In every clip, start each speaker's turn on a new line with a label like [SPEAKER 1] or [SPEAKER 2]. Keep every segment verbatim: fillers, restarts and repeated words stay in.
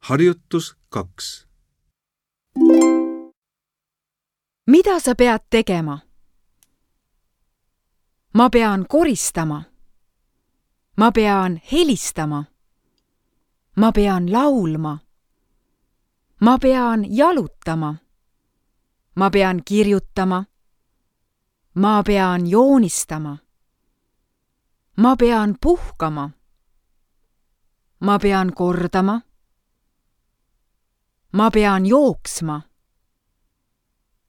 [SPEAKER 1] Harjutus kaks.
[SPEAKER 2] Mida sa pead tegema? Ma pean koristama. Ma pean helistama. Ma pean laulma. Ma pean jalutama. Ma pean kirjutama. Ma pean joonistama. Ma pean puhkama. Ma pean kordama. Ma pean jooksma.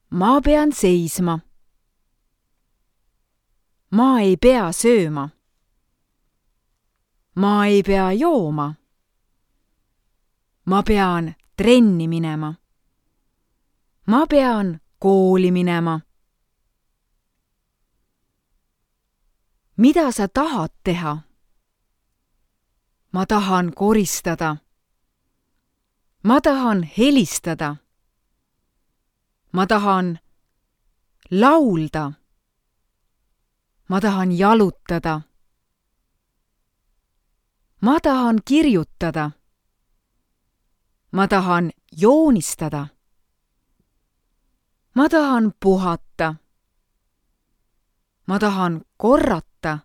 [SPEAKER 2] Ma pean seisma. Ma ei pea sööma. Ma ei pea jooma. Ma pean trenni minema. Ma pean kooli minema. Mida sa tahad teha? Ma tahan koristada. Ma tahan helistada. Ma tahan laulda. Ma tahan jalutada. Ma tahan kirjutada. Ma tahan joonistada. Ma tahan puhata. Ma tahan korrata.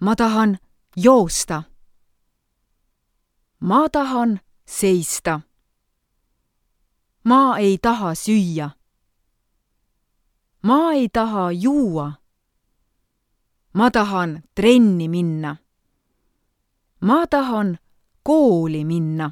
[SPEAKER 2] Ma tahan joosta. Ma tahan seista. Ma ei taha süüa. Ma ei taha juua. Ma tahan trenni minna. Ma tahan kooli minna.